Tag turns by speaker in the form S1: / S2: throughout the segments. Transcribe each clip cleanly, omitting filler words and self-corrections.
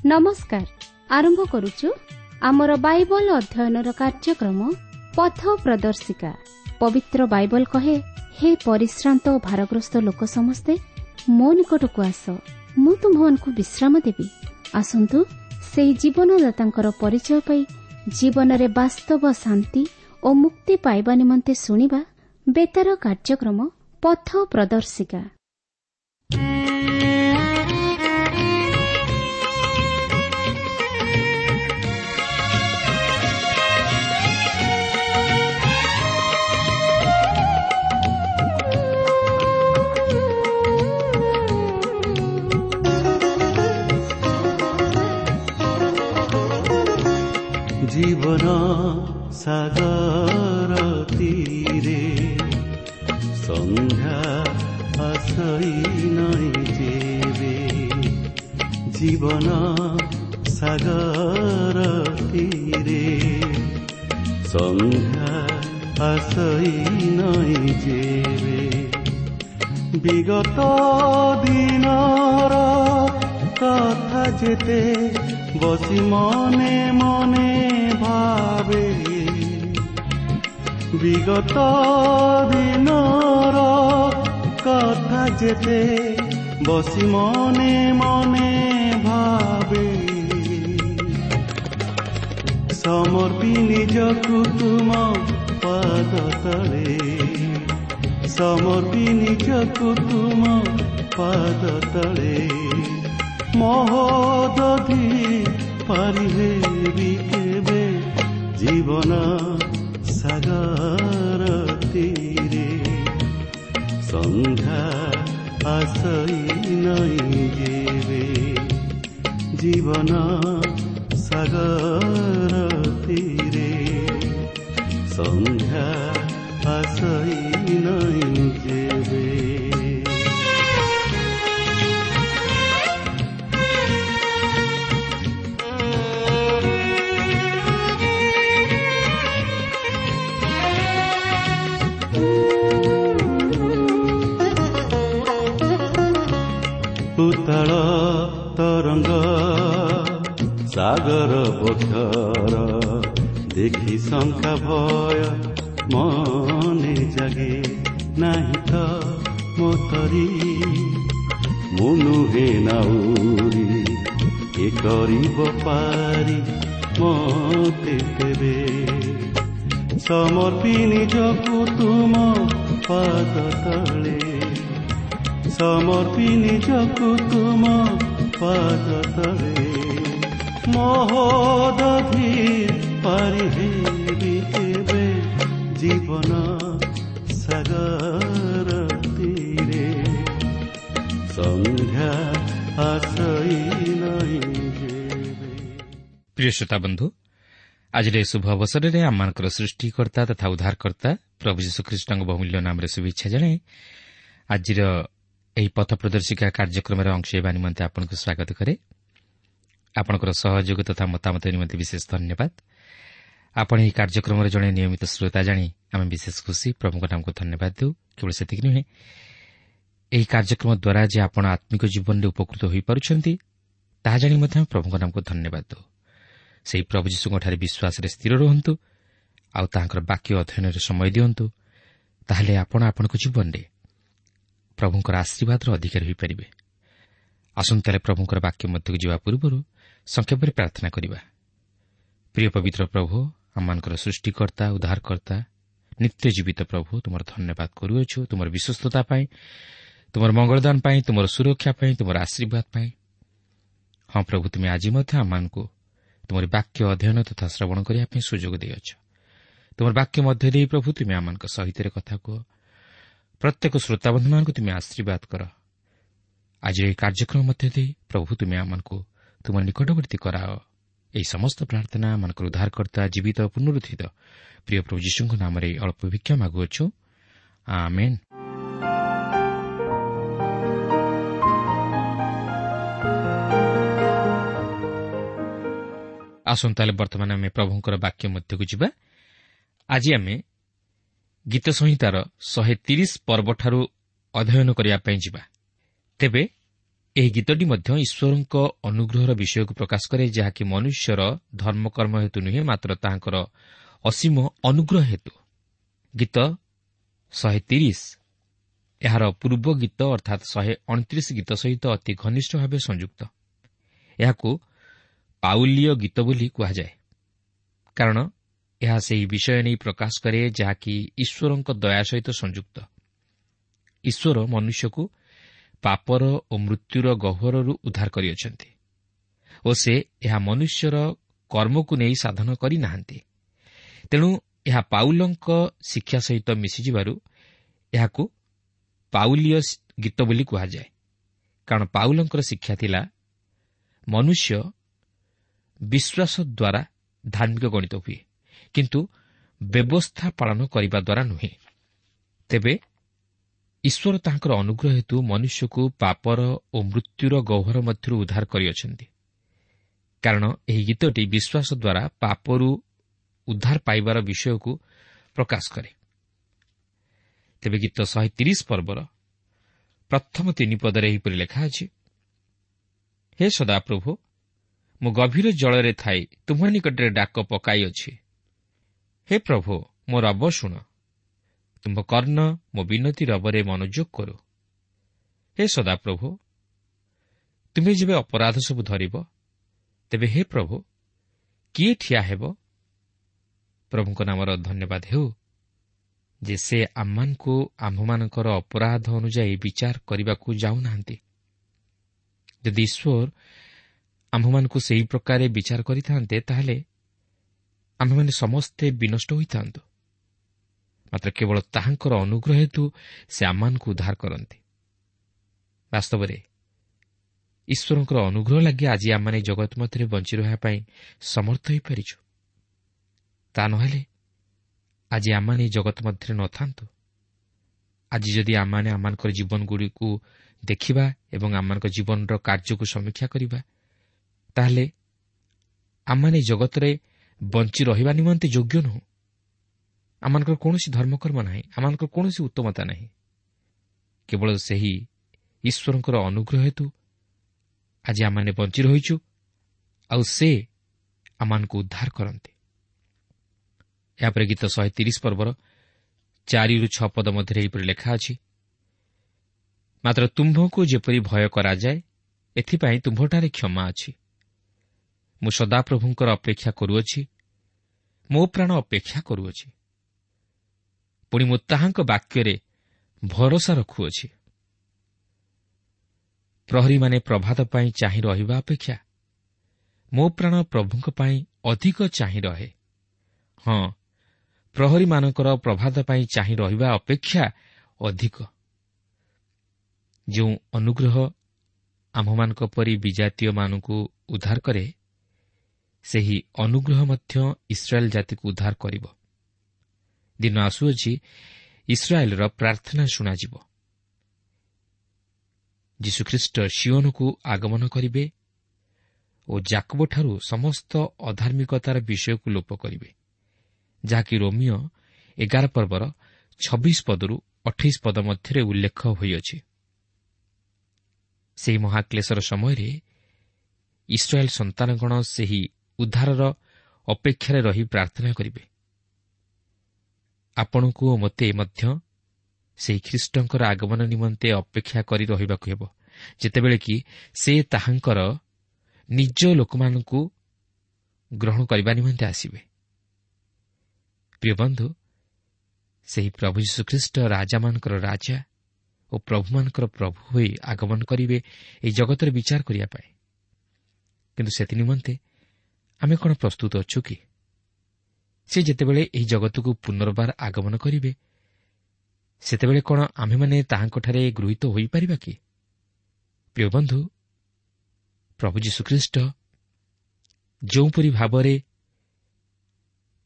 S1: ନମସ୍କାର। ଆରମ୍ଭ କରୁଛୁ ଆମର ବାଇବଲ ଅଧ୍ୟୟନର କାର୍ଯ୍ୟକ୍ରମ ପଥ ପ୍ରଦର୍ଶିକା। ପବିତ୍ର ବାଇବଲ କହେ, ହେ ପରିଶ୍ରାନ୍ତ ଓ ଭାରଗ୍ରସ୍ତ ଲୋକ ସମସ୍ତେ ମୋ ନିକଟକୁ ଆସ, ମୁଁ ତୁମ୍ଭମାନଙ୍କୁ ବିଶ୍ରାମ ଦେବି। ଆସନ୍ତୁ ସେହି ଜୀବନଦାତାଙ୍କର ପରିଚୟ ପାଇ ଜୀବନରେ ବାସ୍ତବ ଶାନ୍ତି ଓ ମୁକ୍ତି ପାଇବା ନିମନ୍ତେ ଶୁଣିବା ବେତାର କାର୍ଯ୍ୟକ୍ରମ ପଥ ପ୍ରଦର୍ଶିକା।
S2: ଜୀବନ ସାଗର ତୀରେ ସନ୍ଧ୍ୟା ଆସଇ ନାଇଁ ଯେବେ, ଜୀବନ ସାଗର ତୀରେ ସନ୍ଧ୍ୟା ଆସଇ ନାଇଁ ଯେବେ, ବିଗତ ଦିନର କଥା ଯେତେ ବସି ମନେ ମନେ ଭାବେ, ବିଗତ ଦିନର କଥା ଯେତେ ବସି ମନେ ମନେ ଭାବେ, ସମର୍ପି ନିଜକୁ ତୁମ ପାଦ ତଳେ, ସମର୍ପି ନିଜକୁ ତୁମ ପାଦ ତଳେ, ମହୋଦଧି ପାରିହେବି କେବେ, ଜୀବନ ସାଗର ତୀରେ ସନ୍ଧ୍ୟା ଆସଇ ନାଇଁ ଯେବେ, ଜୀବନ ସାଗର ତୀରେ ସନ୍ଧ୍ୟା ଆସଇ ନାଇଁ ଯେବେ। ଉତ୍ତଳ ତରଙ୍ଗ ସାଗର ବକ୍ଷର ଦେଖି ଶଙ୍କା ଭୟ ମନେ ଜାଗେ, ନାହିଁ ତ ମୋତରି ମୁଁ ନୁହେଁ ନାଉରି, ଏ କରିବ ପାରି ମତେ ତେବେ, ସମର୍ପି ନିଜକୁ ତୁମ ପାଦ ତଳେ, ସମର୍ପି ନିଜକୁ ତୁମ ପାଦ ତଳେ, ମହୋଦଧି ପାରିହେବି କେବେ, ଜୀବନ ସାଗର ତୀରେ ସନ୍ଧ୍ୟା ଆସଇ ନାଇଁ ଯେବେ।
S3: ପ୍ରିୟ ଶ୍ରୋତା ବନ୍ଧୁ, ଆଜିର ଏହି ଶୁଭ ଅବସରରେ ଆମମାନଙ୍କର ସୃଷ୍ଟିକର୍ତ୍ତା ତଥା ଉଦ୍ଧାରକର୍ତ୍ତା ପ୍ରଭୁ ଯୀଶୁଖ୍ରୀଷ୍ଟଙ୍କ ବହୁମୂଲ୍ୟ ନାମରେ ଶୁଭେଚ୍ଛା ଜଣାଇ ଆଜିର ଏହି ପଥ ପ୍ରଦର୍ଶିକା କାର୍ଯ୍ୟକ୍ରମରେ ଅଂଶ ହେବା ନିମନ୍ତେ ଆପଣଙ୍କୁ ସ୍ୱାଗତ କରେ। ଆପଣଙ୍କର ସହଯୋଗ ତଥା ମତାମତ ନିମନ୍ତେ ବିଶେଷ ଧନ୍ୟବାଦ। ଆପଣ ଏହି କାର୍ଯ୍ୟକ୍ରମରେ ଜଣେ ନିୟମିତ ଶ୍ରୋତା ଜାଣି ଆମେ ବିଶେଷ ଖୁସି। ପ୍ରଭୁଙ୍କ ନାମକୁ ଧନ୍ୟବାଦ ଦେଉ। କେବଳ ସେତିକି ନୁହେଁ, ଏହି କାର୍ଯ୍ୟକ୍ରମ ଦ୍ୱାରା ଯେ ଆପଣ ଆତ୍ମିକ ଜୀବନରେ ଉପକୃତ ହୋଇପାରୁଛନ୍ତି ତାହା ଜାଣି ମଧ୍ୟ ଆମେ ପ୍ରଭୁଙ୍କ ନାମକୁ ଧନ୍ୟବାଦ ଦେଉ। ସେହି ପ୍ରଭୁ ଯୀଶୁଙ୍କଠାରେ ବିଶ୍ୱାସରେ ସ୍ଥିର ରୁହନ୍ତୁ ଆଉ ତାହାଙ୍କର ବାକ୍ୟ ଅଧ୍ୟୟନରେ ସମୟ ଦିଅନ୍ତୁ, ତାହେଲେ ଆପଣ ଆପଣଙ୍କ ଜୀବନରେ ପ୍ରଭୁଙ୍କର ଆଶୀର୍ବାଦର ଅଧିକାରୀ ହୋଇପାରିବେ। ଆସନ୍ତୁ ତାହେଲେ ପ୍ରଭୁଙ୍କର ବାକ୍ୟ ମଧ୍ୟକୁ ଯିବା ପୂର୍ବରୁ ସଂକ୍ଷେପରେ ପ୍ରାର୍ଥନା କରିବା। ପ୍ରିୟ ପବିତ୍ର ପ୍ରଭୁ, ଆମମାନଙ୍କର ସୃଷ୍ଟିକର୍ତ୍ତା, ଉଦ୍ଧାରକର୍ତ୍ତା, ନିତ୍ୟ ଜୀବିତ ପ୍ରଭୁ, ତୁମର ଧନ୍ୟବାଦ କରୁଅଛୁ ତୁମର ବିଶ୍ୱସ୍ତତା ପାଇଁ, ତୁମର ମଙ୍ଗଳଦାନ ପାଇଁ, ତୁମର ସୁରକ୍ଷା ପାଇଁ, ତୁମର ଆଶୀର୍ବାଦ ପାଇଁ। ହଁ ପ୍ରଭୁ, ତୁମେ ଆଜି ମଧ୍ୟ ଆମମାନଙ୍କୁ ତୁମର ବାକ୍ୟ ଅଧ୍ୟୟନ ତଥା ଶ୍ରବଣ କରିବା ପାଇଁ ସୁଯୋଗ ଦେଇଅଛ। ତୁମର ବାକ୍ୟ ମଧ୍ୟ ଦେଇ ପ୍ରଭୁ ତୁମେ ଆମମାନଙ୍କ ସହିତ କଥା କୁହ। ପ୍ରତ୍ୟେକ ଶ୍ରୋତାବନ୍ଧୁମାନଙ୍କୁ ତୁମେ ଆଶୀର୍ବାଦ କର। ଆଜିର ଏହି କାର୍ଯ୍ୟକ୍ରମ ମଧ୍ୟ ଦେଇ ପ୍ରଭୁ ତୁମେ ଆମମାନଙ୍କୁ ତୁମ ନିକଟବର୍ତ୍ତୀ କରାଅ। ଏହି ସମସ୍ତ ପ୍ରାର୍ଥନା ଆମମାନଙ୍କର ଉଦ୍ଧାରକର୍ତ୍ତା ଜୀବିତ ପୁନରୁତ୍ଥିତ ପ୍ରିୟ ପ୍ରଭୁ ଯୀଶୁଙ୍କ ନାମରେ ଅଳ୍ପ ଭିକ୍ଷା ମାଗୁଅଛୁ, ଆମେନ୍। ଆସନ୍ତୁ ତାହେଲେ ବର୍ତ୍ତମାନ ଆମେ ପ୍ରଭୁଙ୍କର ବାକ୍ୟ ମଧ୍ୟକୁ ଯିବା। ଆଜି ଆମେ ଗୀତ ସଂହିତାର 130 ପର୍ବଠାରୁ ଅଧ୍ୟୟନ କରିବା ପାଇଁ ଯିବା। ତେବେ ଏହି ଗୀତଟି ମଧ୍ୟ ଈଶ୍ୱରଙ୍କ ଅନୁଗ୍ରହର ବିଷୟକୁ ପ୍ରକାଶ କରେ, ଯାହାକି ମନୁଷ୍ୟର ଧର୍ମକର୍ମ ହେତୁ ନୁହେଁ, ମାତ୍ର ତାହାଙ୍କର ଅସୀମ ଅନୁଗ୍ରହ ହେତୁ। ଗୀତ 130 ଏହାର ପୂର୍ବ ଗୀତ ଅର୍ଥାତ୍ 129 ଗୀତ ସହିତ ଅତି ଘନିଷ୍ଠ ଭାବେ ସଂଯୁକ୍ତ। ଏହାକୁ ପାଉଲୀୟ ଗୀତ ବୋଲି କୁହାଯାଏ, କାରଣ ଏହା ସେହି ବିଷୟ ନେଇ ପ୍ରକାଶ କରେ ଯାହାକି ଈଶ୍ୱରଙ୍କ ଦୟା ସହିତ ସଂଯୁକ୍ତ। ଈଶ୍ୱର ମନୁଷ୍ୟକୁ ପାପର ଓ ମୃତ୍ୟୁର ଗହ୍ୱରରୁ ଉଦ୍ଧାର କରିଅଛନ୍ତି ଓ ସେ ଏହା ମନୁଷ୍ୟର କର୍ମକୁ ନେଇ ସାଧନ କରିନାହାନ୍ତି। ତେଣୁ ଏହା ପାଉଲଙ୍କ ଶିକ୍ଷା ସହିତ ମିଶିଯିବାରୁ ଏହାକୁ ପାଉଲୀୟ ଗୀତ ବୋଲି କୁହାଯାଏ, କାରଣ ପାଉଲଙ୍କର ଶିକ୍ଷା ଥିଲା ମନୁଷ୍ୟ ବିଶ୍ୱାସ ଦ୍ୱାରା ଧାର୍ମିକ ଗଣିତ ହୁଏ, କିନ୍ତୁ ବ୍ୟବସ୍ଥା ପାଳନ କରିବା ଦ୍ୱାରା ନୁହେଁ। ତେବେ ଈଶ୍ୱର ତାହାଙ୍କର ଅନୁଗ୍ରହ ହେତୁ ମନୁଷ୍ୟକୁ ପାପର ଓ ମୃତ୍ୟୁର ଗହ୍ୱର ମଧ୍ୟରୁ ଉଦ୍ଧାର କରିଅଛନ୍ତି, କାରଣ ଏହି ଗୀତଟି ବିଶ୍ୱାସ ଦ୍ୱାରା ପାପରୁ ଉଦ୍ଧାର ପାଇବାର ବିଷୟକୁ ପ୍ରକାଶ କରେ। ତେବେ ଗୀତ 130 ପର୍ବର ପ୍ରଥମ 3 ପଦରେ ଏହିପରି ଲେଖା ଅଛି, ହେ ସଦାପ୍ରଭୁ, ମୁଁ ଗଭୀର ଜଳରେ ଥାଇ ତୁମ୍ଭ ନିକଟରେ ଡାକ ପକାଇଅଛି। ହେ ପ୍ରଭୁ, ମୋ ରବ ଶୁଣ, ତୁମ୍ଭ କର୍ଣ୍ଣ ମୋ ବିନତି ରବରେ ମନୋଯୋଗ କରୁ। ହେ ସଦାପ୍ରଭୁ, ତୁମେ ଯେବେ ଅପରାଧ ସବୁ ଧରିବ, ତେବେ ହେ ପ୍ରଭୁ, କିଏ ଠିଆ ହେବ? ପ୍ରଭୁଙ୍କ ନାମର ଧନ୍ୟବାଦ ହେଉ ଯେ ସେ ଆମମାନଙ୍କୁ ଆମ୍ଭମାନଙ୍କର ଅପରାଧ ଅନୁଯାୟୀ ବିଚାର କରିବାକୁ ଯାଉନାହାନ୍ତି। ଯଦି ଈଶ୍ୱର ଆମ୍ଭମାନଙ୍କୁ ସେହି ପ୍ରକାରେ ବିଚାର କରିଥାନ୍ତେ, ତାହେଲେ ଆମ୍ଭେମାନେ ସମସ୍ତେ ବିନଷ୍ଟ ହୋଇଥାନ୍ତୁ। ମାତ୍ର କେବଳ ତାହାଙ୍କର ଅନୁଗ୍ରହ ହେତୁ ସେ ଆମମାନଙ୍କୁ ଉଦ୍ଧାର କରନ୍ତି। ବାସ୍ତବରେ ଈଶ୍ୱରଙ୍କର ଅନୁଗ୍ରହ ଲାଗି ଆଜି ଆମମାନେ ଜଗତ ମଧ୍ୟରେ ବଞ୍ଚି ରହିବା ପାଇଁ ସମର୍ଥ ହୋଇପାରିଛୁ। ତା ନହେଲେ ଆଜି ଆମମାନେ ଜଗତ ମଧ୍ୟରେ ନଥାନ୍ତୁ। ଆଜି ଯଦି ଆମମାନେ ଆମମାନଙ୍କର ଜୀବନଗୁଡ଼ିକୁ ଦେଖିବା ଏବଂ ଆମମାନଙ୍କ ଜୀବନର କାର୍ଯ୍ୟକୁ ସମୀକ୍ଷା କରିବା, ତାହେଲେ ଆମମାନେ ଜଗତରେ ବଞ୍ଚି ରହିବା ନିମନ୍ତେ ଯୋଗ୍ୟ ନୁହଁ। ଆମମାନଙ୍କର କୌଣସି ଧର୍ମକର୍ମ ନାହିଁ, ଆମମାନଙ୍କର କୌଣସି ଉତ୍ତମତା ନାହିଁ। କେବଳ ସେହି ଈଶ୍ୱରଙ୍କର ଅନୁଗ୍ରହ ହେତୁ ଆଜି ଆମମାନେ ବଞ୍ଚି ରହିଛୁ, ଆଉ ସେ ଆମମାନଙ୍କୁ ଉଦ୍ଧାର କରନ୍ତି। ଏହାପରେ ଗୀତ 130 ପର୍ବର 4-6 ପଦ ମଧ୍ୟରେ ଏହିପରି ଲେଖା ଅଛି, ମାତ୍ର ତୁମ୍ଭକୁ ଯେପରି ଭୟ କରାଯାଏ, ଏଥିପାଇଁ ତୁମ୍ଭଠାରେ କ୍ଷମା ଅଛି। ମୁଁ ସଦାପ୍ରଭୁଙ୍କର ଅପେକ୍ଷା କରୁଅଛି, ମୋ ପ୍ରାଣ ଅପେକ୍ଷା କରୁଅଛି, ପୁଣି ମୁଁ ତାହାଙ୍କ ବାକ୍ୟରେ ଭରସା ରଖୁଅଛି। ପ୍ରହରୀମାନେ ପ୍ରଭାତ ପାଇଁ ଚାହିଁ ରହିବା ଅପେକ୍ଷା ମୋ ପ୍ରାଣ ପ୍ରଭୁଙ୍କ ପାଇଁ ଅଧିକ ଚାହିଁ ରହେ। ହଁ, ପ୍ରହରୀମାନଙ୍କର ପ୍ରଭାତ ପାଇଁ ଚାହିଁ ରହିବା ଅପେକ୍ଷା ଅଧିକ। ଯେଉଁ ଅନୁଗ୍ରହ ଆମ୍ଭମାନଙ୍କ ପରି ବିଜାତୀୟମାନଙ୍କୁ ଉଦ୍ଧାର କରେ, ସେହି ଅନୁଗ୍ରହ ମଧ୍ୟ ଇସ୍ରାଏଲ୍ ଜାତିକୁ ଉଦ୍ଧାର କରିବ। ଦିନ ଆସୁଅଛି, ଇସ୍ରାଏଲ୍ର ପ୍ରାର୍ଥନା ଶୁଣାଯିବ। ଯୀଶୁଖ୍ରୀଷ୍ଟ ସିଓନକୁ ଆଗମନ କରିବେ ଓ ଜାକବଠାରୁ ସମସ୍ତ ଅଧାର୍ମିକତାର ବିଷୟକୁ ଲୋପ କରିବେ, ଯାହାକି ରୋମିଓ 11 ପର୍ବର 26 ପଦରୁ 28 ପଦ ମଧ୍ୟରେ ଉଲ୍ଲେଖ ହୋଇଅଛି। ସେହି ମହାକ୍ଲେଶର ସମୟରେ ଇସ୍ରାଏଲ୍ ସନ୍ତାନଗଣ ସେହି ଉଦ୍ଧାରର ଅପେକ୍ଷାରେ ରହି ପ୍ରାର୍ଥନା କରିବେ। ଆପଣଙ୍କୁ ଓ ମୋତେ ମଧ୍ୟ ସେହି ଖ୍ରୀଷ୍ଟଙ୍କର ଆଗମନ ନିମନ୍ତେ ଅପେକ୍ଷା କରି ରହିବାକୁ ହେବ, ଯେତେବେଳେ କି ସେ ତାହାଙ୍କର ନିଜ ଲୋକମାନଙ୍କୁ ଗ୍ରହଣ କରିବା ନିମନ୍ତେ ଆସିବେ। ପ୍ରିୟ ବନ୍ଧୁ, ସେହି ପ୍ରଭୁ ଯୀଶୁଖ୍ରୀଷ୍ଟ ରାଜାମାନଙ୍କର ରାଜା ଓ ପ୍ରଭୁମାନଙ୍କର ପ୍ରଭୁ ହୋଇ ଆଗମନ କରିବେ ଏହି ଜଗତରେ ବିଚାର କରିବା ପାଇଁ। କିନ୍ତୁ ସେଥି ନିମନ୍ତେ ଆମେ କ'ଣ ପ୍ରସ୍ତୁତ ଅଛୁ କି? ସେ ଯେତେବେଳେ ଏହି ଜଗତକୁ ପୁନର୍ବାର ଆଗମନ କରିବେ, ସେତେବେଳେ କ'ଣ ଆମ୍ଭେମାନେ ତାହାଙ୍କଠାରେ ଗୃହୀତ ହୋଇପାରିବା କି? ପ୍ରିୟ ବନ୍ଧୁ, ପ୍ରଭୁ ଯୀଶୁଖ୍ରୀଷ୍ଟ ଯେଉଁପରି ଭାବରେ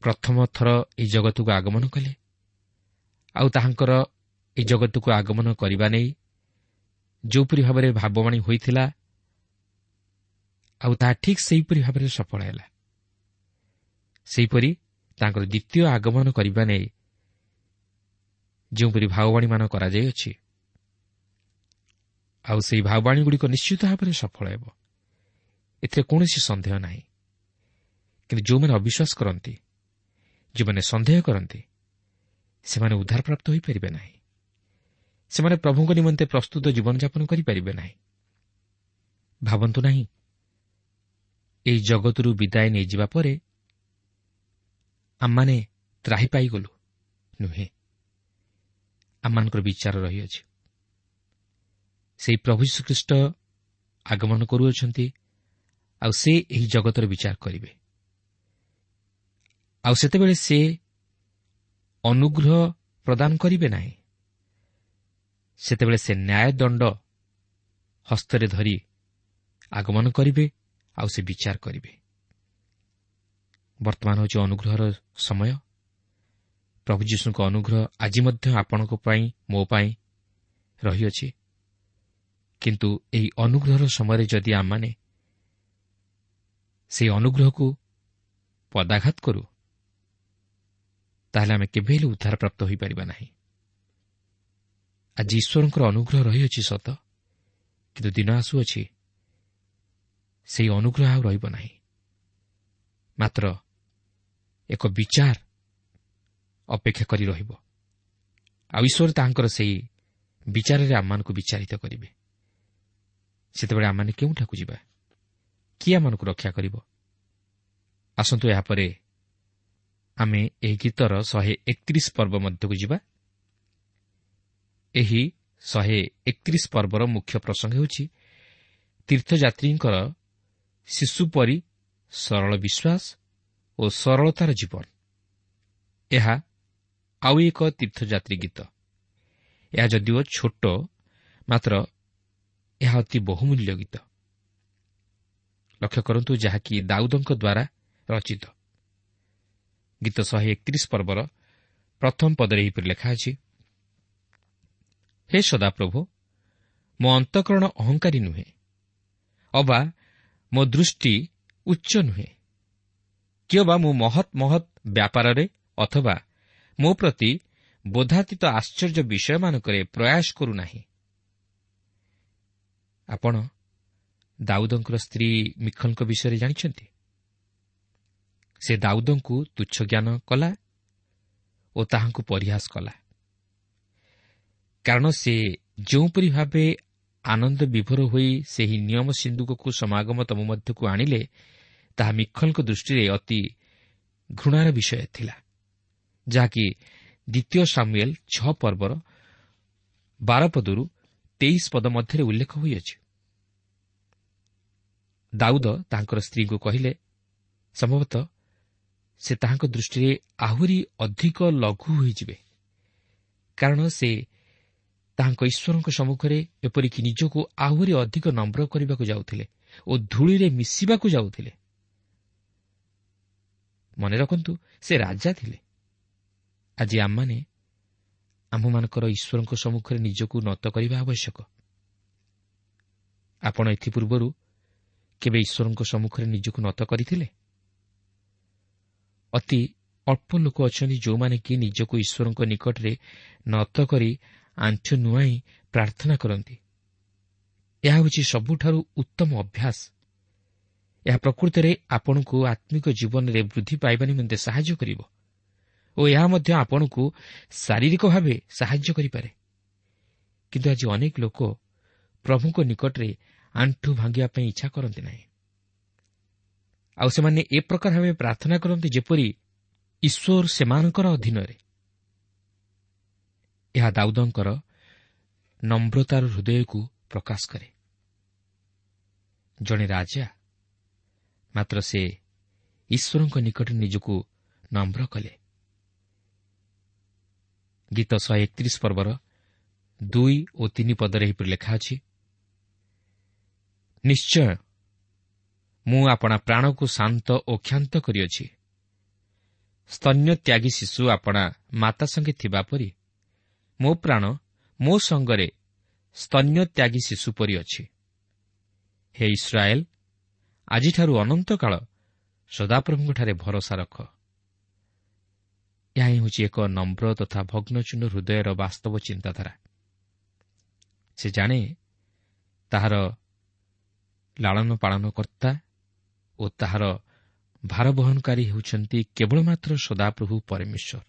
S3: ପ୍ରଥମ ଥର ଏହି ଜଗତକୁ ଆଗମନ କଲେ, ଆଉ ତାହାଙ୍କର ଏହି ଜଗତକୁ ଆଗମନ କରିବା ନେଇ ଯେଉଁପରି ଭାବରେ ଭାବବାଣୀ ହୋଇଥିଲା, ଆଉ ତାହା ଠିକ୍ ସେହିପରି ଭାବରେ ସଫଳ ହେଲା, ସେହିପରି ତାଙ୍କର ଦ୍ୱିତୀୟ ଆଗମନ କରିବା ନେଇ ଯେଉଁପରି ଭାବବାଣୀମାନ କରାଯାଇଅଛି, ଆଉ ସେହି ଭାବବାଣୀଗୁଡ଼ିକ ନିଶ୍ଚିତ ଭାବରେ ସଫଳ ହେବ, ଏଥିରେ କୌଣସି ସନ୍ଦେହ ନାହିଁ। କିନ୍ତୁ ଯେଉଁମାନେ ଅବିଶ୍ୱାସ କରନ୍ତି, ଯେଉଁମାନେ ସନ୍ଦେହ କରନ୍ତି, ସେମାନେ ଉଦ୍ଧାରପ୍ରାପ୍ତ ହୋଇପାରିବେ ନାହିଁ। ସେମାନେ ପ୍ରଭୁଙ୍କ ନିମନ୍ତେ ପ୍ରସ୍ତୁତ ଜୀବନଯାପନ କରିପାରିବେ ନାହିଁ। ଭାବନ୍ତୁ ନାହିଁ, ଏହି ଜଗତରୁ ବିଦାୟ ନେଇଯିବା ପରେ ଆମମାନେ ତ୍ରାହି ପାଇଗଲୁ। ନୁହେଁ, ଆମମାନଙ୍କର ବିଚାର ରହିଅଛି। ସେହି ପ୍ରଭୁ ଯୀଶୁଖ୍ରୀଷ୍ଟ ଆଗମନ କରୁଅଛନ୍ତି, ଆଉ ସେ ଏହି ଜଗତର ବିଚାର କରିବେ। ଆଉ ସେତେବେଳେ ସେ ଅନୁଗ୍ରହ ପ୍ରଦାନ କରିବେ ନାହିଁ। ସେତେବେଳେ ସେ ନ୍ୟାୟଦଣ୍ଡ ହସ୍ତରେ ଧରି ଆଗମନ କରିବେ, ଆଉ ସେ ବିଚାର କରିବେ। ବର୍ତ୍ତମାନ ହେଉଛି ଅନୁଗ୍ରହର ସମୟ। ପ୍ରଭୁ ଯୀଶୁଙ୍କ ଅନୁଗ୍ରହ ଆଜି ମଧ୍ୟ ଆପଣଙ୍କ ପାଇଁ, ମୋ ପାଇଁ ରହିଅଛି। କିନ୍ତୁ ଏହି ଅନୁଗ୍ରହର ସମୟରେ ଯଦି ଆମମାନେ ସେହି ଅନୁଗ୍ରହକୁ ପଦାଘାତ କରୁ, ତାହେଲେ ଆମେ କେବେ ହେଲେ ଉଦ୍ଧାରପ୍ରାପ୍ତ ହୋଇପାରିବା ନାହିଁ। ଆଜି ଈଶ୍ୱରଙ୍କର ଅନୁଗ୍ରହ ରହିଅଛି ସତ, କିନ୍ତୁ ଦିନ ଆସୁଅଛି ସେହି ଅନୁଗ୍ରହ ଆଉ ରହିବ ନାହିଁ। ମାତ୍ର ଏକ ବିଚାର ଅପେକ୍ଷା କରି ରହିବ, ଆଉ ଈଶ୍ୱର ତାହାଙ୍କର ସେହି ବିଚାରରେ ଆମମାନଙ୍କୁ ବିଚାରିତ କରିବେ। ସେତେବେଳେ ଆମମାନେ କେଉଁଠାକୁ ଯିବା? କିଏ ଆମମାନଙ୍କୁ ରକ୍ଷା କରିବ? ଆସନ୍ତୁ ଏହାପରେ ଆମେ ଏହି ଗୀତର 131 ପର୍ବ ମଧ୍ୟକୁ ଯିବା। ଏହି 131 ପର୍ବର ମୁଖ୍ୟ ପ୍ରସଙ୍ଗ ହେଉଛି ତୀର୍ଥଯାତ୍ରୀଙ୍କର ଶିଶୁ ପରି ସରଳ ବିଶ୍ୱାସ ଓ ସରଳତାର ଜୀବନ। ଏହା ଆଉ ଏକ ତୀର୍ଥଯାତ୍ରୀ ଗୀତ। ଏହା ଯଦିଓ ଛୋଟ, ମାତ୍ର ଏହା ଅତି ବହୁମୂଲ୍ୟ ଗୀତ। ଲକ୍ଷ୍ୟ କରନ୍ତୁ, ଯାହାକି ଦାଉଦଙ୍କ ଦ୍ୱାରା ରଚିତ। ଗୀତ 131 ପର୍ବର ପ୍ରଥମ ପଦରେ ଏହିପରି ଲେଖା ଅଛି, ହେ ସଦାପ୍ରଭୁ, ମୋ ଅନ୍ତଃକରଣ ଅହଙ୍କାରୀ ନୁହେଁ, ଅବା ମୋ ଦୃଷ୍ଟି ଉଚ୍ଚ ନୁହେଁ, କିଅବା ମୁଁ ମହତ୍ ମହତ୍ ବ୍ୟାପାରରେ ଅଥବା ମୋ ପ୍ରତି ବୋଧାତୀତ ଆଶ୍ଚର୍ଯ୍ୟ ବିଷୟମାନଙ୍କରେ ପ୍ରୟାସ କରୁନାହିଁ। ଆପଣ ଦାଉଦଙ୍କର ସ୍ତ୍ରୀ ମିଖଲଙ୍କ ବିଷୟରେ ଜାଣିଛନ୍ତି। ସେ ଦାଉଦଙ୍କୁ ତୁଚ୍ଛ ଜ୍ଞାନ କଲା ଓ ତାହାଙ୍କୁ ପରିହାସ କଲା, କାରଣ ସେ ଯେଉଁପରି ଭାବେ ଆନନ୍ଦ ବିଭୋର ହୋଇ ସେହି ନିୟମ ସିନ୍ଧୁକକୁ ସମାଗମ ତମ ମଧ୍ୟକୁ ଆଣିଲେ, ତାହା ମିଖଲଙ୍କ ଦୃଷ୍ଟିରେ ଅତି ଘୃଣାର ବିଷୟ ଥିଲା, ଯାହାକି ଦ୍ୱିତୀୟ ସାମୁଏଲ 6 ପର୍ବର 12 ପଦରୁ 23 ପଦ ମଧ୍ୟରେ ଉଲ୍ଲେଖ ହୋଇଅଛି। ଦାଉଦ ତାଙ୍କର ସ୍ତ୍ରୀଙ୍କୁ କହିଲେ, ସମ୍ଭବତଃ ସେ ତାହାଙ୍କ ଦୃଷ୍ଟିରେ ଆହୁରି ଅଧିକ ଲଘୁ ହୋଇଯିବେ, କାରଣ ସେ ତାହାଙ୍କ ଈଶ୍ୱରଙ୍କ ସମ୍ମୁଖରେ ଏପରିକି ନିଜକୁ ଆହୁରି ଅଧିକ ନମ୍ର କରିବାକୁ ଯାଉଥିଲେ ଓ ଧୂଳିରେ ମିଶିବାକୁ ଯାଉଥିଲେ। ମନେ ରଖନ୍ତୁ, ସେ ରାଜା ଥିଲେ। ଆଜି ଆମମାନେ ଆମ୍ଭମାନଙ୍କର ଈଶ୍ୱରଙ୍କ ସମ୍ମୁଖରେ ନିଜକୁ ନତ କରିବା ଆବଶ୍ୟକ। ଆପଣ ଏଥିପୂର୍ବରୁ କେବେ ଈଶ୍ୱରଙ୍କ ସମ୍ମୁଖରେ ନିଜକୁ ନତ କରିଥିଲେ? ଅତି ଅଳ୍ପ ଲୋକ ଅଛନ୍ତି ଯେଉଁମାନେ କି ନିଜକୁ ଈଶ୍ୱରଙ୍କ ନିକଟରେ ନତ କରି ଆଣ୍ଠୁ ନୁଆଇଁ ପ୍ରାର୍ଥନା କରନ୍ତି। ଏହା ହେଉଛି ସବୁଠାରୁ ଉତ୍ତମ ଅଭ୍ୟାସ। ଏହା ପ୍ରକୃତରେ ଆପଣଙ୍କୁ ଆତ୍ମିକ ଜୀବନରେ ବୃଦ୍ଧି ପାଇବା ନିମନ୍ତେ ସାହାଯ୍ୟ କରିବ ଓ ଏହା ମଧ୍ୟ ଆପଣଙ୍କୁ ଶାରୀରିକ ଭାବେ ସାହାଯ୍ୟ କରିପାରେ। କିନ୍ତୁ ଆଜି ଅନେକ ଲୋକ ପ୍ରଭୁଙ୍କ ନିକଟରେ ଆଣ୍ଠୁ ଭାଙ୍ଗିବା ପାଇଁ ଇଚ୍ଛା କରନ୍ତି ନାହିଁ, ଆଉ ସେମାନେ ଏ ପ୍ରକାର ଭାବେ ପ୍ରାର୍ଥନା କରନ୍ତି ଯେପରି ଈଶ୍ୱର ସେମାନଙ୍କର ଅଧୀନରେ। ଏହା ଦାଉଦଙ୍କର ନମ୍ରତାର ହୃଦୟକୁ ପ୍ରକାଶ କରେ। ଜଣେ ରାଜା, ମାତ୍ର ସେ ଈଶ୍ୱରଙ୍କ ନିକଟରେ ନିଜକୁ ନମ୍ର କଲେ। ଗୀତ 131 ପର୍ବର 2 ଓ 3 ପଦରେ ଏହିପରି ଲେଖା ଅଛି, ନିଶ୍ଚୟ ମୁଁ ଆପଣା ପ୍ରାଣକୁ ଶାନ୍ତ ଓ କ୍ଷାନ୍ତ କରିଅଛି। ସ୍ତନ୍ୟ ତ୍ୟାଗୀ ଶିଶୁ ଆପଣା ମାତା ସଙ୍ଗେ ଥିବା ପରି ମୋ ପ୍ରାଣ ମୋ ସଙ୍ଗରେ ସ୍ତନ୍ୟ ତ୍ୟାଗୀ ଶିଶୁ ପରି ଅଛି। ହେ ଇସ୍ରାଏଲ, ଆଜିଠାରୁ ଅନନ୍ତକାଳ ସଦାପ୍ରଭୁଙ୍କଠାରେ ଭରସା ରଖ। ଏହା ହିଁ ହେଉଛି ଏକ ନମ୍ର ତଥା ଭଗ୍ନଚୂର୍ଣ୍ଣ ହୃଦୟର ବାସ୍ତବ ଚିନ୍ତାଧାରା। ସେ ଜାଣେ ତାହାର ଲାଳନ ପାଳନ କର୍ତ୍ତା ଓ ତାହାର ଭାରବହନକାରୀ ହେଉଛନ୍ତି କେବଳ ମାତ୍ର ସଦାପ୍ରଭୁ ପରମେଶ୍ୱର।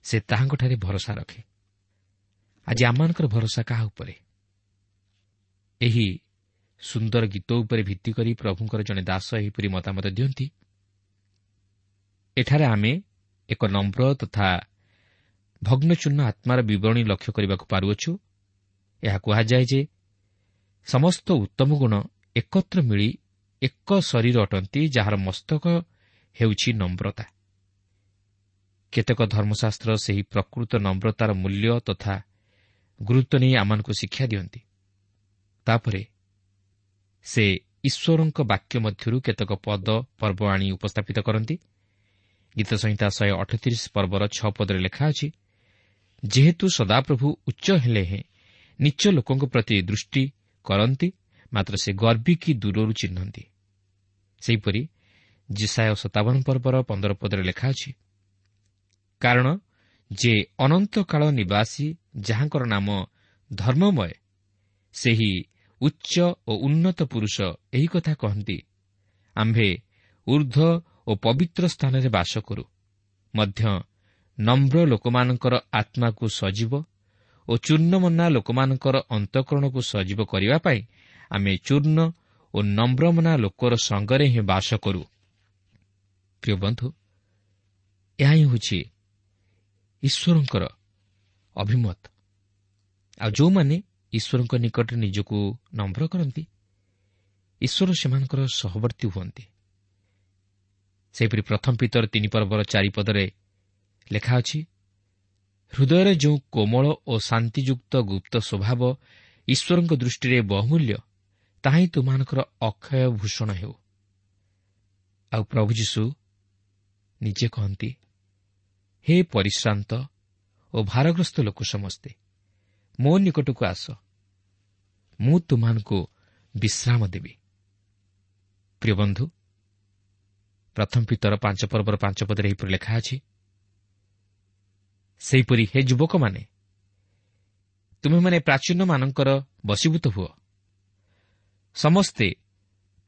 S3: ସେ ତାହାଙ୍କଠାରେ ଭରସା ରଖେ। ଆଜି ଆମମାନଙ୍କର ଭରସା କାହା ଉପରେ? ଏହି ସୁନ୍ଦର ଗୀତ ଉପରେ ଭିତ୍ତି କରି ପ୍ରଭୁଙ୍କର ଜଣେ ଦାସ ଏହିପରି ମତାମତ ଦିଅନ୍ତି, ଏଠାରେ ଆମେ ଏକ ନମ୍ର ତଥା ଭଗ୍ନଚୂର୍ଣ୍ଣ ଆତ୍ମାର ବିବରଣୀ ଲକ୍ଷ୍ୟ କରିବାକୁ ପାରୁଅଛୁ। ଏହା କୁହାଯାଏ ଯେ ସମସ୍ତ ଉତ୍ତମ ଗୁଣ ଏକତ୍ର ମିଳି ଏକ ଶରୀର ଅଟନ୍ତି, ଯାହାର ମସ୍ତକ ହେଉଛି ନମ୍ରତା। କେତେକ ଧର୍ମଶାସ୍ତ୍ର ସେହି ପ୍ରକୃତ ନମ୍ରତାର ମୂଲ୍ୟ ତଥା ଗୁରୁତ୍ୱ ନେଇ ଆମମାନଙ୍କୁ ଶିକ୍ଷା ଦିଅନ୍ତି। ତାପରେ ସେ ଈଶ୍ୱରଙ୍କ ବାକ୍ୟ ମଧ୍ୟରୁ କେତେକ ପଦ ପର୍ବ ଆଣି ଉପସ୍ଥାପିତ କରନ୍ତି। ଗୀତସଂହିତା 138 ପର୍ବର 6 ପଦରେ ଲେଖା ଅଛି, ଯେହେତୁ ସଦାପ୍ରଭୁ ଉଚ୍ଚ ହେଲେ ହେଁ ନିଚ ଲୋକଙ୍କ ପ୍ରତି ଦୃଷ୍ଟି କରନ୍ତି, ମାତ୍ର ସେ ଗର୍ବୀ କି ଦୂରରୁ ଚିହ୍ନନ୍ତି। ସେହିପରି ଯିଶାଇୟ 57 ପର୍ବର 15 ପଦରେ ଲେଖା ଅଛି, କାରଣ ଯେ ଅନନ୍ତକାଳ ନିବାସୀ, ଯାହାଙ୍କର ନାମ ଧର୍ମମୟ, ସେହି ଉଚ୍ଚ ଓ ଉନ୍ନତ ପୁରୁଷ ଏହି କଥା କହନ୍ତି, ଆମ୍ଭେ ଉର୍ଦ୍ଧ୍ୱ ଓ ପବିତ୍ର ସ୍ଥାନରେ ବାସ କରୁ, ମଧ୍ୟ ନମ୍ର ଲୋକମାନଙ୍କର ଆତ୍ମାକୁ ସଜୀବ ଓ ଚୂର୍ଣ୍ଣମନା ଲୋକମାନଙ୍କର ଅନ୍ତଃକରଣକୁ ସଜୀବ କରିବା ପାଇଁ ଆମେ ଚୂର୍ଣ୍ଣ ଓ ନମ୍ରମନା ଲୋକର ସଙ୍ଗରେ ହିଁ ବାସ କରୁ। ପ୍ରିୟ ବନ୍ଧୁ, ଏହା ହିଁ ହେଉଛି ଈଶ୍ୱରଙ୍କର ଅଭିମତ। ଆଉ ଯେଉଁମାନେ ଈଶ୍ୱରଙ୍କ ନିକଟରେ ନିଜକୁ ନମ୍ର କରନ୍ତି, ଈଶ୍ୱର ସେମାନଙ୍କର ସହବର୍ତ୍ତୀ ହୁଅନ୍ତି। ସେହିପରି ପ୍ରଥମ ପିତର 3 ପର୍ବର 4 ପଦରେ ଲେଖା ଅଛି, ହୃଦୟରେ ଯେଉଁ କୋମଳ ଓ ଶାନ୍ତିଯୁକ୍ତ ଗୁପ୍ତ ସ୍ୱଭାବ ଈଶ୍ୱରଙ୍କ ଦୃଷ୍ଟିରେ ବହୁମୂଲ୍ୟ, ତାହା ହିଁ ତୁମମାନଙ୍କର ଅକ୍ଷୟ ଭୂଷଣ ହେଉ। ଆଉ ପ୍ରଭୁ ଯୀଶୁ ନିଜେ କହନ୍ତି, ହେ ପରିଶ୍ରାନ୍ତ ଓ ଭାରଗ୍ରସ୍ତ ଲୋକ ସମସ୍ତେ, ମୋ ନିକଟକୁ ଆସ, ମୁଁ ତୁମମାନଙ୍କୁ ବିଶ୍ରାମ ଦେବି। ପ୍ରିୟ ବନ୍ଧୁ, ପ୍ରଥମ ପିତର 5 ପର୍ବର 5 ପଦରେ ଏହିପରି ଲେଖା ଅଛି, ସେହିପରି ହେ ଯୁବକମାନେ, ତୁମେମାନେ ପ୍ରାଚୀନମାନଙ୍କର ବଶୀଭୂତ ହୁଅ, ସମସ୍ତେ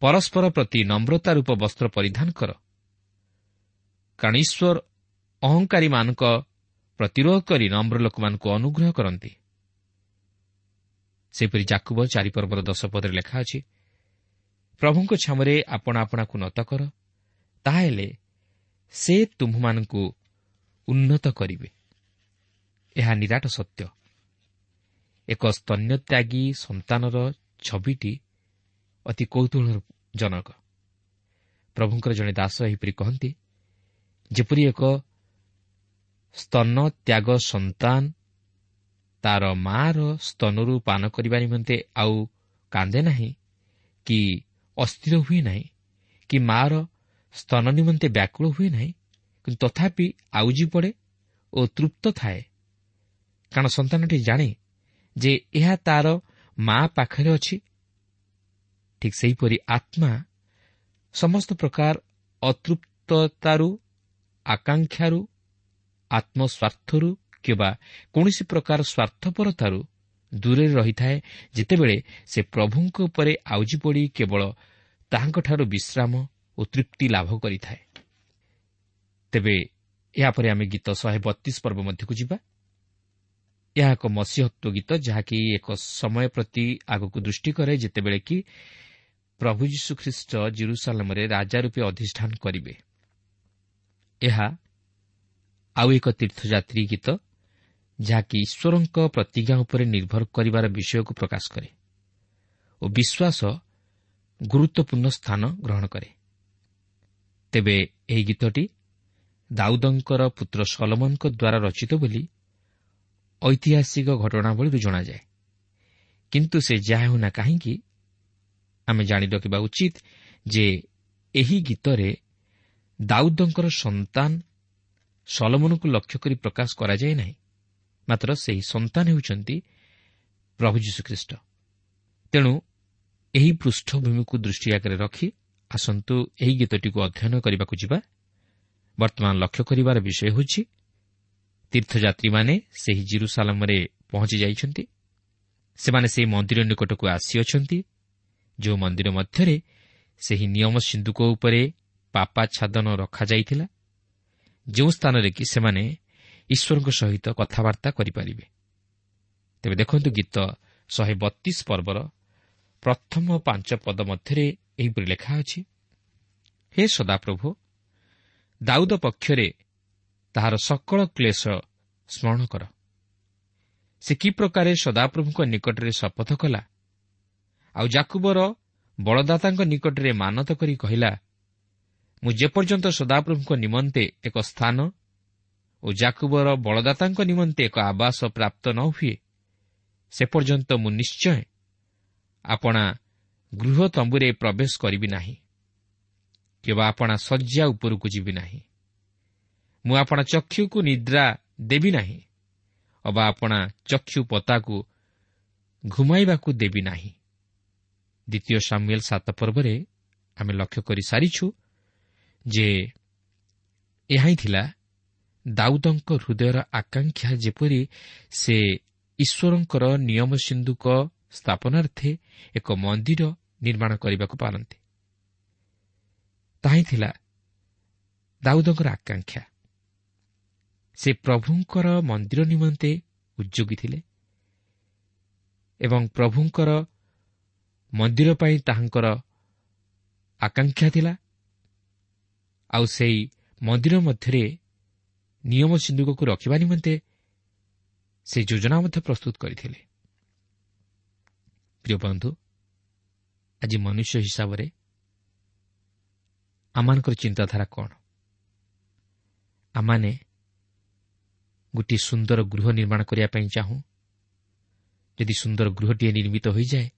S3: ପରସ୍ପର ପ୍ରତି ନମ୍ରତା ରୂପ ବସ୍ତ୍ର ପରିଧାନ କର, କାରଣ ଈଶ୍ୱର ଅହଙ୍କାରୀମାନଙ୍କ ପ୍ରତିରୋଧ କରି ନମ୍ର ଲୋକମାନଙ୍କୁ ଅନୁଗ୍ରହ କରନ୍ତି। ସେହିପରି ଯାକୁବ 4 ପର୍ବର 10 ପଦରେ ଲେଖା ଅଛି, ପ୍ରଭୁଙ୍କ ଛାମରେ ଆପଣା ଆପଣାକୁ ନତ କର, ତାହାହେଲେ ସେ ତୁମ୍ଭମାନଙ୍କୁ ଉନ୍ନତ କରିବେ। ଏହା ନିରାଟ ସତ୍ୟ। ଏକ ସ୍ତନ୍ୟତ୍ୟାଗୀ ସନ୍ତାନର ଛବିଟି ଅତି କୌତୂହଳଜନକ। ପ୍ରଭୁଙ୍କର ଜଣେ ଦାସ ଏହିପରି କହନ୍ତି, ଯେପରି ଏକ ସ୍ତନତ୍ୟାଗ ସନ୍ତାନ ତାର ମାଆର ସ୍ତନରୁ ପାନ କରିବା ନିମନ୍ତେ ଆଉ କାନ୍ଦେ ନାହିଁ କି ଅସ୍ଥିର ହୁଏ ନାହିଁ କି ମାଆର ସ୍ତନ ନିମନ୍ତେ ବ୍ୟାକୁଳ ହୁଏ ନାହିଁ, କିନ୍ତୁ ତଥାପି ଆଉଜି ପଡ଼େ ଓ ତୃପ୍ତ ଥାଏ, କାରଣ ସନ୍ତାନଟି ଜାଣେ ଯେ ଏହା ତାର ମା ପାଖରେ ଅଛି। ଠିକ୍ ସେହିପରି ଆତ୍ମା ସମସ୍ତ ପ୍ରକାର ଅତୃପ୍ତତାରୁ, ଆକାଂକ୍ଷାରୁ, ଆତ୍ମସ୍ୱାର୍ଥରୁ କିମ୍ବା କୌଣସି ପ୍ରକାର ସ୍ୱାର୍ଥପରତାରୁ ଦୂରରେ ରହିଥାଏ, ଯେତେବେଳେ ସେ ପ୍ରଭୁଙ୍କ ଉପରେ ଆଉଜି ପଡ଼ି କେବଳ ତାହାଙ୍କଠାରୁ ବିଶ୍ରାମ ଓ ତୃପ୍ତି ଲାଭ କରିଥାଏ। ତେବେ ଏହାପରେ ଆମେ ଗୀତ 132 ପର୍ବ ମଧ୍ୟକୁ ଯିବା। ଏହା ଏକ ମସିହତ୍ୱ ଗୀତ, ଯାହାକି ଏକ ସମୟ ପ୍ରତି ଆଗକୁ ଦୃଷ୍ଟି କରେ, ଯେତେବେଳେ କି ପ୍ରଭୁ ଯୀଶୁଖ୍ରୀଷ୍ଟ ଜେରୁସାଲେମରେ ରାଜା ରୂପେ ଅଧିଷ୍ଠାନ କରିବେ। ଏହା ଆଉ ଏକ ତୀର୍ଥଯାତ୍ରୀ ଗୀତ, ଯାହାକି ଈଶ୍ୱରଙ୍କ ପ୍ରତିଜ୍ଞା ଉପରେ ନିର୍ଭର କରିବାର ବିଷୟକୁ ପ୍ରକାଶ କରେ ଓ ବିଶ୍ୱାସ ଗୁରୁତ୍ୱପୂର୍ଣ୍ଣ ସ୍ଥାନ ଗ୍ରହଣ କରେ। ତେବେ ଏହି ଗୀତଟି ଦାଉଦଙ୍କର ପୁତ୍ର ସଲୋମନଙ୍କ ଦ୍ୱାରା ରଚିତ ବୋଲି ଐତିହାସିକ ଘଟଣାବଳୀରୁ ଜଣାଯାଏ। କିନ୍ତୁ ସେ ଯାହା ହେଉନା କାହିଁକି, ଆମେ ଜାଣି ରଖିବା ଉଚିତ ଯେ ଏହି ଗୀତରେ ଦାଉଦଙ୍କର ସନ୍ତାନ ସଲୋମନଙ୍କୁ ଲକ୍ଷ୍ୟ କରି ପ୍ରକାଶ କରାଯାଏ ନାହିଁ, ମାତ୍ର ସେହି ସନ୍ତାନ ହେଉଛନ୍ତି ପ୍ରଭୁ ଯୀଶୁଖ୍ରୀଷ୍ଟ। ତେଣୁ ଏହି ପୃଷ୍ଠଭୂମିକୁ ଦୃଷ୍ଟି ଆଗରେ ରଖି ଆସନ୍ତୁ ଏହି ଗୀତଟିକୁ ଅଧ୍ୟୟନ କରିବାକୁ ଯିବା। ବର୍ତ୍ତମାନ ଲକ୍ଷ୍ୟ କରିବାର ବିଷୟ ହେଉଛି ତୀର୍ଥଯାତ୍ରୀମାନେ ସେହି ଜେରୁସାଲେମରେ ପହଞ୍ଚି ଯାଇଛନ୍ତି। ସେମାନେ ସେହି ମନ୍ଦିର ନିକଟକୁ ଆସିଅଛନ୍ତି, ଯେଉଁ ମନ୍ଦିର ମଧ୍ୟରେ ସେହି ନିୟମ ସିନ୍ଧୁକ ଉପରେ ପାପାଚ୍ଛାଦନ ରଖାଯାଇଥିଲା, ଯେଉଁ ସ୍ଥାନରେ କି ସେମାନେ ଈଶ୍ୱରଙ୍କ ସହିତ କଥାବାର୍ତ୍ତା କରିପାରିବେ। ତେବେ ଦେଖନ୍ତୁ, ଗୀତ 132 ପର୍ବର ପ୍ରଥମ 5 ପଦ ମଧ୍ୟରେ ଏହିପରି ଲେଖା ଅଛି, ହେ ସଦାପ୍ରଭୁ, ଦାଉଦ ପକ୍ଷରେ ତାହାର ସକଳ କ୍ଲେଶ ସ୍ମରଣ କର। ସେ କି ପ୍ରକାରେ ସଦାପ୍ରଭୁଙ୍କ ନିକଟରେ ଶପଥ କଲା, ଆଉ ଯାକୁବର ବଳଦାତାଙ୍କ ନିକଟରେ ମାନତ କରି କହିଲା, ମୁଁ ଯେପର୍ଯ୍ୟନ୍ତ ସଦାପ୍ରଭୁଙ୍କ ନିମନ୍ତେ ଏକ ସ୍ଥାନ ଓ ଯାକୁବର ବଳଦାତାଙ୍କ ନିମନ୍ତେ ଏକ ଆବାସ ପ୍ରାପ୍ତ ନ ହୁଏ, ସେ ପର୍ଯ୍ୟନ୍ତ ମୁଁ ନିଶ୍ଚୟ ଆପଣା ଗୃହ ତମ୍ବୁରେ ପ୍ରବେଶ କରିବି ନାହିଁ, କିମ୍ବା ଆପଣା ଶଯ୍ୟା ଉପରକୁ ଯିବି ନାହିଁ। ମୁଁ ଆପଣା ଚକ୍ଷୁକୁ ନିଦ୍ରା ଦେବି ନାହିଁ, ଅବା ଆପଣା ଚକ୍ଷୁ ପତାକୁ ଘୁମାଇବାକୁ ଦେବି ନାହିଁ। ଦ୍ୱିତୀୟ ସାମୁଏଲ 7 ପର୍ବରେ ଆମେ ଲକ୍ଷ୍ୟ କରିସାରିଛୁ ଯେ ଏହା ହିଁ ଥିଲା ଦାଉଦଙ୍କ ହୃଦୟର ଆକାଂକ୍ଷା, ଯେପରି ସେ ଈଶ୍ୱରଙ୍କର ନିୟମ ସିନ୍ଧୁକ ସ୍ଥାପନାର୍ଥେ ଏକ ମନ୍ଦିର ନିର୍ମାଣ କରିବାକୁ ପାରନ୍ତି। ତାହା ହିଁ ଥିଲା ଦାଉଦଙ୍କର ଆକାଂକ୍ଷା। ସେ ପ୍ରଭୁଙ୍କର ମନ୍ଦିର ନିମନ୍ତେ ଉଦ୍ଯୋଗୀ ଥିଲେ ଏବଂ ପ୍ରଭୁଙ୍କର ମନ୍ଦିର ପାଇଁ ତାହାଙ୍କର ଆକାଂକ୍ଷା ଥିଲା। ଆଉ ସେହି ମନ୍ଦିର ମଧ୍ୟରେ ନିୟମ ସିନ୍ଧୁକକୁ ରଖିବା ନିମନ୍ତେ ସେ ଯୋଜନା ମଧ୍ୟ ପ୍ରସ୍ତୁତ କରିଥିଲେ। ପ୍ରିୟ ବନ୍ଧୁ, ଆଜି ମନୁଷ୍ୟ ହିସାବରେ ଆମମାନଙ୍କର ଚିନ୍ତାଧାରା କ'ଣ? ଆମମାନେ ଗୋଟିଏ ସୁନ୍ଦର ଗୃହ ନିର୍ମାଣ କରିବା ପାଇଁ ଚାହୁଁ। ଯଦି ସୁନ୍ଦର ଗୃହଟିଏ ନିର୍ମିତ ହୋଇଯାଏ,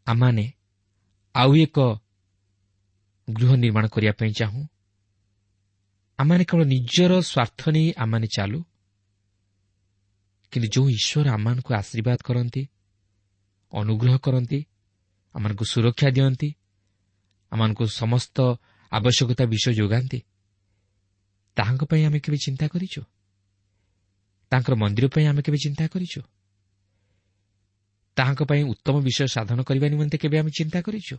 S3: ଆମମାନେ ଆଉ ଏକ ଗୃହ ନିର୍ମାଣ କରିବା ପାଇଁ ଚାହୁଁ। ଆମମାନେ କେବଳ ନିଜର ସ୍ୱାର୍ଥ ନେଇ ଆମମାନେ ଚାଲୁ। କିନ୍ତୁ ଯେଉଁ ଈଶ୍ୱର ଆମମାନଙ୍କୁ ଆଶୀର୍ବାଦ କରନ୍ତି, ଅନୁଗ୍ରହ କରନ୍ତି, ଆମମାନଙ୍କୁ ସୁରକ୍ଷା ଦିଅନ୍ତି, ଆମମାନଙ୍କୁ ସମସ୍ତ ଆବଶ୍ୟକତା ବିଷୟ ଯୋଗାନ୍ତି, ତାହାଙ୍କ ପାଇଁ ଆମେ କେବେ ଚିନ୍ତା କରିଛୁ? ତାଙ୍କର ମନ୍ଦିର ପାଇଁ ଆମେ କେବେ ଚିନ୍ତା କରିଛୁ? ତାହାଙ୍କ ପାଇଁ ଉତ୍ତମ ବିଷୟ ସାଧନ କରିବା ନିମନ୍ତେ କେବେ ଆମେ ଚିନ୍ତା କରିଛୁ?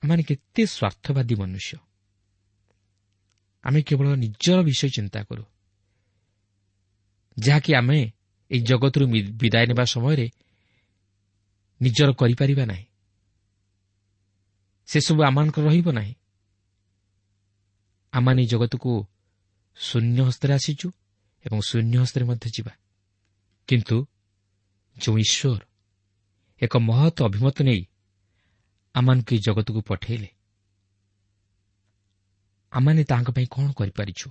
S3: ଆମମାନେ କେତେ ସ୍ୱାର୍ଥବାଦୀ ମନୁଷ୍ୟ। ଆମେ କେବଳ ନିଜର ବିଷୟ ଚିନ୍ତା କରୁ, ଯାହାକି ଆମେ ଏହି ଜଗତରୁ ବିଦାୟ ନେବା ସମୟରେ ନିଜର କରିପାରିବା ନାହିଁ। ସେସବୁ ଆମମାନଙ୍କର ରହିବ ନାହିଁ। ଆମମାନେ ଏହି ଜଗତକୁ ଶୂନ୍ୟ ହସ୍ତରେ ଆସିଛୁ ଏବଂ ଶୂନ୍ୟ ହସ୍ତରେ ମଧ୍ୟ ଯିବା। କିନ୍ତୁ ଯେଉଁ ଈଶ୍ୱର ଏକ ମହତ୍ ଅଭିମତ ନେଇ ଆମମାନଙ୍କୁ ଏହି ଜଗତକୁ ପଠାଇଲେ, ଆମମାନେ ତାଙ୍କ ପାଇଁ କ'ଣ କରିପାରିଛୁ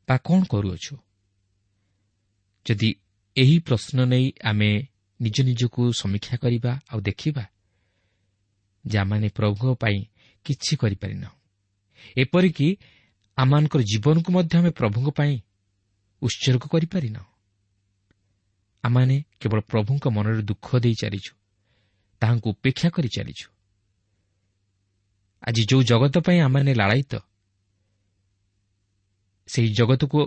S3: ବା କ'ଣ କରୁଅଛୁ? ଯଦି ଏହି ପ୍ରଶ୍ନ ନେଇ ଆମେ ନିଜ ନିଜକୁ ସମୀକ୍ଷା କରିବା ଆଉ ଦେଖିବା ଯେ ଆମମାନେ ପ୍ରଭୁଙ୍କ ପାଇଁ କିଛି କରିପାରିନାହୁଁ, ଏପରିକି ଆମମାନଙ୍କର ଜୀବନକୁ ମଧ୍ୟ ଆମେ ପ୍ରଭୁଙ୍କ ପାଇଁ ଉତ୍ସର୍ଗ କରିପାରିନାହୁଁ, ଆମମାନେ କେବଳ ପ୍ରଭୁଙ୍କ ମନରେ ଦୁଃଖ ଦେଇ ଚାଲିଛୁ, ତାହାଙ୍କୁ ଉପେକ୍ଷା କରି ଚାଲିଛୁ। ଆଜି ଯେଉଁ ଜଗତ ପାଇଁ ଆମମାନେ ଲାଳାୟିତ, ସେହି ଜଗତକୁ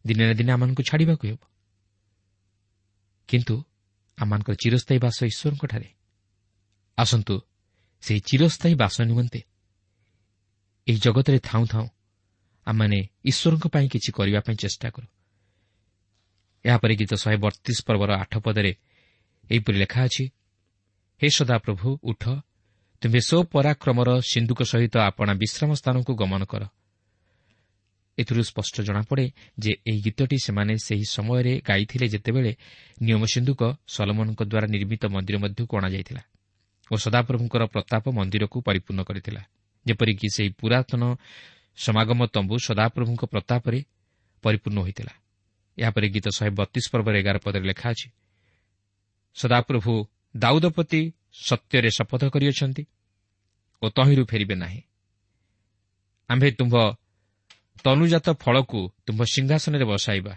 S3: ଦିନେ ନା ଦିନେ ଆମମାନଙ୍କୁ ଛାଡ଼ିବାକୁ ହେବ। କିନ୍ତୁ ଆମମାନଙ୍କର ଚିରସ୍ଥାୟୀ ବାସ ଈଶ୍ୱରଙ୍କଠାରେ। ଆସନ୍ତୁ ସେହି ଚିରସ୍ଥାୟୀ ବାସ ନିମନ୍ତେ ଏହି ଜଗତରେ ଥାଉଁ ଥାଉଁ ଆମମାନେ ଈଶ୍ୱରଙ୍କ ପାଇଁ କିଛି କରିବା ପାଇଁ ଚେଷ୍ଟା କରୁ। ଏହାପରେ ଗୀତ 132 ପର୍ବର 8 ପଦରେ ଏହିପରି ଲେଖା ଅଛି, ହେ ସଦାପ୍ରଭୁ ଉଠ, ତୁମ୍ଭେ ସ୍ୱପରାକ୍ରମର ସିନ୍ଧୁକ ସହିତ ଆପଣା ବିଶ୍ରାମ ସ୍ଥାନକୁ ଗମନ କର। ଏଥିରୁ ସ୍ପଷ୍ଟ ଜଣାପଡ଼େ ଯେ ଏହି ଗୀତଟି ସେମାନେ ସେହି ସମୟରେ ଗାଇଥିଲେ ଯେତେବେଳେ ନିୟମ ସିନ୍ଧୁକ ସଲୋମନଙ୍କ ଦ୍ୱାରା ନିର୍ମିତ ମନ୍ଦିର ମଧ୍ୟକୁ ଅଣାଯାଇଥିଲା ଓ ସଦାପ୍ରଭୁଙ୍କର ପ୍ରତାପ ମନ୍ଦିରକୁ ପରିପୂର୍ଣ୍ଣ କରିଥିଲା, ଯେପରିକି ସେହି ପୁରାତନ ସମାଗମ ତମ୍ବୁ ସଦାପ୍ରଭୁଙ୍କ ପ୍ରତାପରେ ପରିପୂର୍ଣ୍ଣ ହୋଇଥିଲା। ଏହାପରେ ଗୀତ 132 ପର୍ବର 11 ପଦରେ ଲେଖା ଅଛି, ସଦାପ୍ରଭୁ ଦାଉଦ ପ୍ରତି ସତ୍ୟରେ ଶପଥ କରିଅଛନ୍ତି ଓ ତହିଁରୁ ଫେରିବେ ନାହିଁ। ଆମ୍ଭେ ତୁମ୍ଭ ତନୁଜାତ ଫଳକୁ ତୁମ୍ଭ ସିଂହାସନରେ ବସାଇବା,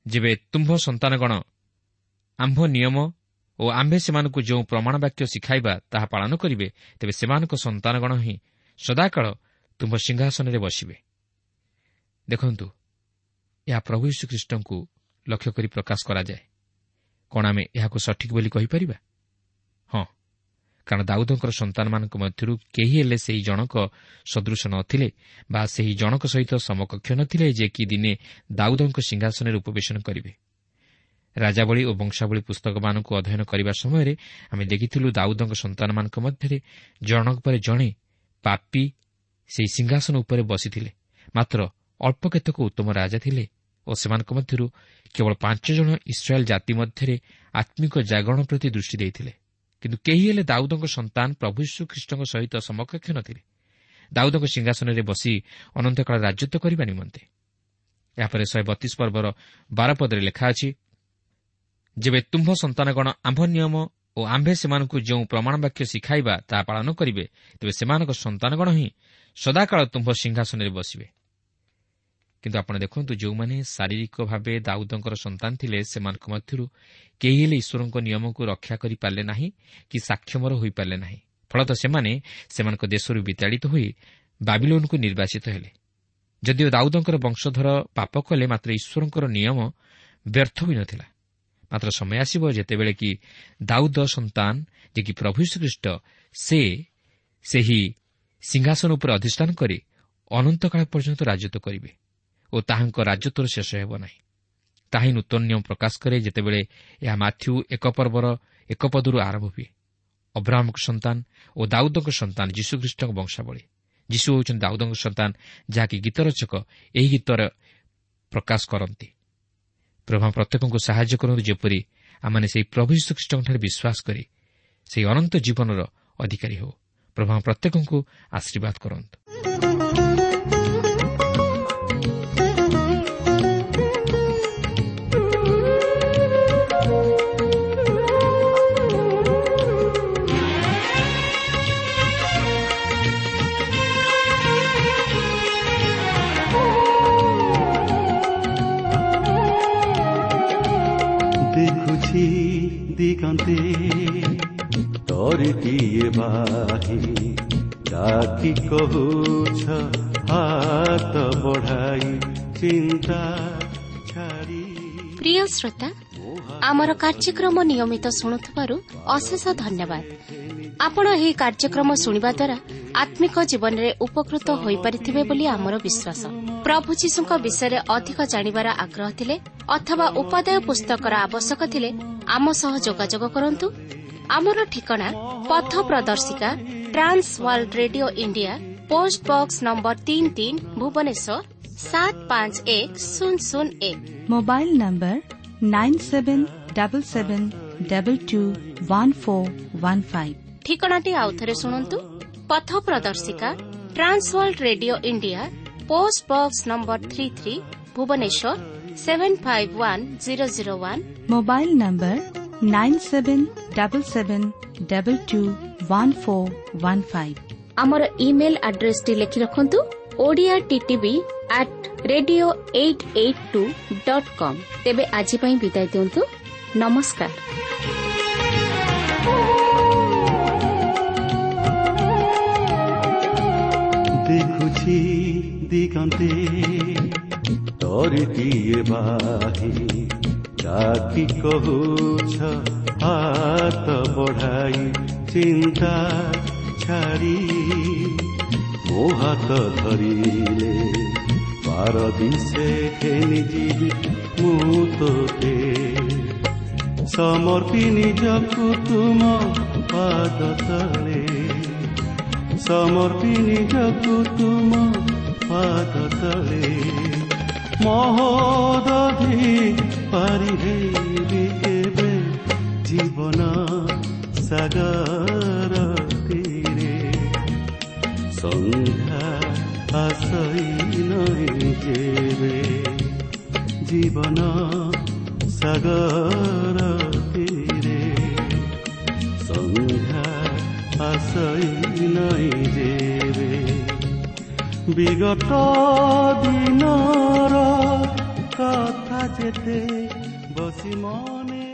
S3: ଯେବେ ତୁମ୍ଭ ସନ୍ତାନଗଣ ଆମ୍ଭ ନିୟମ ଓ ଆମ୍ଭେ ସେମାନଙ୍କୁ ଯେଉଁ ପ୍ରମାଣ ବାକ୍ୟ ଶିଖାଇବା ତାହା ପାଳନ କରିବେ, ତେବେ ସେମାନଙ୍କ ସନ୍ତାନଗଣ ହିଁ ସଦାକାଳ ତୁମ୍ଭ ସିଂହାସନରେ ବସିବେ। ଦେଖନ୍ତୁ, ଏହା ପ୍ରଭୁ ଯୀଶୁଖ୍ରୀଷ୍ଟଙ୍କୁ ଲକ୍ଷ୍ୟ କରି ପ୍ରକାଶ କରାଯାଏ। କ'ଣ ଆମେ ଏହାକୁ ସଠିକ୍ ବୋଲି କହିପାରିବା? ହଁ, କାରଣ ଦାଉଦଙ୍କର ସନ୍ତାନମାନଙ୍କ ମଧ୍ୟରୁ କେହି ହେଲେ ସେହି ଜଣକ ସଦୃଶ ନଥିଲେ ବା ସେହି ଜଣକ ସହିତ ସମକକ୍ଷ ନଥିଲେ ଯେ କି ଦିନେ ଦାଉଦଙ୍କ ସିଂହାସନରେ ଉପବେଶନ କରିବେ। ରାଜାବଳୀ ଓ ବଂଶାବଳୀ ପୁସ୍ତକମାନଙ୍କୁ ଅଧ୍ୟୟନ କରିବା ସମୟରେ ଆମେ ଦେଖିଥିଲୁ ଦାଉଦଙ୍କ ସନ୍ତାନମାନଙ୍କ ମଧ୍ୟରେ ଜଣକ ପରେ ଜଣେ ପାପୀ ସେହି ସିଂହାସନ ଉପରେ ବସିଥିଲେ। ମାତ୍ର ଅଳ୍ପ କେତେକ ଉତ୍ତମ ରାଜା ଥିଲେ ଓ ସେମାନଙ୍କ ମଧ୍ୟରୁ କେବଳ 5 ଜଣ ଇସ୍ରାଏଲ୍ ଜାତି ମଧ୍ୟରେ ଆତ୍ମିକ ଜାଗରଣ ପ୍ରତି ଦୃଷ୍ଟି ଦେଇଥିଲେ। କିନ୍ତୁ କେହି ହେଲେ ଦାଉଦଙ୍କ ସନ୍ତାନ ପ୍ରଭୁ ଯୀଶୁଖ୍ରୀଷ୍ଟଙ୍କ ସହିତ ସମକକ୍ଷ ନଥିଲେ ଦାଉଦଙ୍କ ସିଂହାସନରେ ବସି ଅନନ୍ତକାଳ ରାଜତ୍ୱ କରିବା ନିମନ୍ତେ। ଏହାପରେ 132 ପର୍ବର 12 ପଦରେ ଲେଖା ଅଛି, ଯେବେ ତୁମ୍ଭ ସନ୍ତାନଗଣ ଆମ୍ଭ ନିୟମ ଓ ଆମ୍ଭେ ସେମାନଙ୍କୁ ଯେଉଁ ପ୍ରମାଣ ବାକ୍ୟ ଶିଖାଇବା ତାହା ପାଳନ କରିବେ, ତେବେ ସେମାନଙ୍କ ସନ୍ତାନଗଣ ହିଁ ସଦାକାଳ ତୁମ୍ଭ ସିଂହାସନରେ ବସିବେ। କିନ୍ତୁ ଆପଣ ଦେଖନ୍ତୁ, ଯେଉଁମାନେ ଶାରୀରିକ ଭାବେ ଦାଉଦଙ୍କର ସନ୍ତାନ ଥିଲେ ସେମାନଙ୍କ ମଧ୍ୟରୁ କେହି ହେଲେ ଈଶ୍ୱରଙ୍କ ନିୟମକୁ ରକ୍ଷା କରିପାରିଲେ ନାହିଁ କି ସାକ୍ଷମର ହୋଇପାରିଲେ ନାହିଁ। ଫଳତଃ ସେମାନେ ସେମାନଙ୍କ ଦେଶରୁ ବିତାଡ଼ିତ ହୋଇ ବାବିଲୋନକୁ ନିର୍ବାସିତ ହେଲେ। ଯଦିଓ ଦାଉଦଙ୍କର ବଂଶଧର ପାପ କଲେ, ମାତ୍ର ଈଶ୍ୱରଙ୍କର ନିୟମ ବ୍ୟର୍ଥ ହୋଇନଥିଲା। ମାତ୍ର ସମୟ ଆସିବ ଯେତେବେଳେ କି ଦାଉଦ ସନ୍ତାନ ଯେ କି ପ୍ରଭୁ ଯୀଶୁଖ୍ରୀଷ୍ଟ ସେ ସେହି ସିଂହାସନ ଉପରେ ଅଧିଷ୍ଠାନ କରି ଅନନ୍ତକାଳ ପର୍ଯ୍ୟନ୍ତ ରାଜତ୍ୱ କରିବେ ଓ ତାହାଙ୍କ ରାଜତ୍ୱର ଶେଷ ହେବ ନାହିଁ। ତାହା ହିଁ ନୂତନ ନିୟମ ପ୍ରକାଶ କରେ ଯେତେବେଳେ ଏହା ମାଥ୍ୟୁ 1 ପର୍ବର 1 ପଦରୁ ଆରମ୍ଭ ହୁଏ। ଅବ୍ରାହମଙ୍କ ସନ୍ତାନ ଓ ଦାଉଦଙ୍କ ସନ୍ତାନ ଯୀଶୁଖ୍ରୀଷ୍ଟଙ୍କ ବଂଶାବଳୀ। ଯୀଶୁ ହେଉଛନ୍ତି ଦାଉଦଙ୍କ ସନ୍ତାନ, ଯାହାକି ଗୀତରଚକ ଏହି ଗୀତର ପ୍ରକାଶ କରନ୍ତି। ପ୍ରଭୁ ପ୍ରତ୍ୟେକଙ୍କୁ ସାହାଯ୍ୟ କରନ୍ତୁ ଯେପରି ଆମମାନେ ସେହି ପ୍ରଭୁ ଯୀଶୁଖ୍ରୀଷ୍ଟଙ୍କଠାରେ ବିଶ୍ୱାସ କରି ସେହି ଅନନ୍ତ ଜୀବନର ଅଧିକାରୀ ହେଉ। ପ୍ରଭୁ ପ୍ରତ୍ୟେକଙ୍କୁ ଆଶୀର୍ବାଦ କରନ୍ତୁ।
S2: ଦେଖୁଛି ଦିଗନ୍ତେ ତରିଟିଏ ବାହି, ଡାକି କହୁଛ ହାତ ବଢ଼ାଇ ଚିନ୍ତା ଛାଡ଼ି।
S1: ପ୍ରିୟ ଶ୍ରୋତା, ଆମର କାର୍ଯ୍ୟକ୍ରମ ନିୟମିତ ଶୁଣୁଥିବାରୁ ଅଶେଷ ଧନ୍ୟବାଦ। ଆପଣ ଏହି କାର୍ଯ୍ୟକ୍ରମ ଶୁଣିବା ଦ୍ୱାରା ଆତ୍ମିକ ଜୀବନରେ ଉପକୃତ ହୋଇପାରିଥିବେ ବୋଲି ଆମର ବିଶ୍ୱାସ। ପ୍ରଭୁ ଯୀଶୁଙ୍କ ବିଷୟରେ ଅଧିକ ଜାଣିବାର ଆଗ୍ରହ ଥିଲେ ଅଥବା ଉପାଦେୟ ପୁସ୍ତକର ଆବଶ୍ୟକ ଥିଲେ ଆମ ସହ ଯୋଗାଯୋଗ କରନ୍ତୁ। ଆମର ଠିକଣା ପଥ ପ୍ରଦର୍ଶିକା, Trans World Radio India, post box number 33, Bhubaneswar 751001।
S4: Mobile number 9777221415।
S1: ଠିକଣାଟି ଆଉଥରେ ଶୁଣନ୍ତୁ। ପଥ ପ୍ରଦର୍ଶିକା, Trans World Radio India, post box number 33, Bhubaneswar 751001।
S4: Mobile number 9777221415।
S1: ଆମର ଇମେଲ୍ ଆଡ୍ରେସଟି ଲେଖି ରଖନ୍ତୁ, Odia TTV at radio 882.com। ତେବେ ଆଜି ପାଇଁ ବିଦାୟ ଦିଅନ୍ତୁ। ନମସ୍କାର।
S2: ଦେଖୁଛି ଦିଗନ୍ତେ ତରିଟିଏ ବାହି, ଡାକି କହୁଛ ହାତ ବଢ଼ାଇ ଚିନ୍ତା ଛାଡ଼ି। ମୋ ହାତ ଧରିଲେ ପାରଦିଶେ ଘେନି ଯିବି ମୁଁ ତୋତେ, ସମର୍ପି ନିଜକୁ ତୁମ ପାଦ ତଳେ, ସମର୍ପି ନିଜକୁ ତୁମ ପାଦ ତଳେ। ମହୋଦଧି ପାରି ହେବି କେବେ ଜୀବନ ସାଗର ତୀରେ, ସନ୍ଧ୍ୟା ଆସଇ ନଇଁ ଯେବେ ଜୀବନ ସାଗର ତୀରେ, ସନ୍ଧ୍ୟା ଆସଇ ନଇଁ ଯେବେ। ବିଗତ ଦିନର କଥା ଯେତେ ବସି ମନେ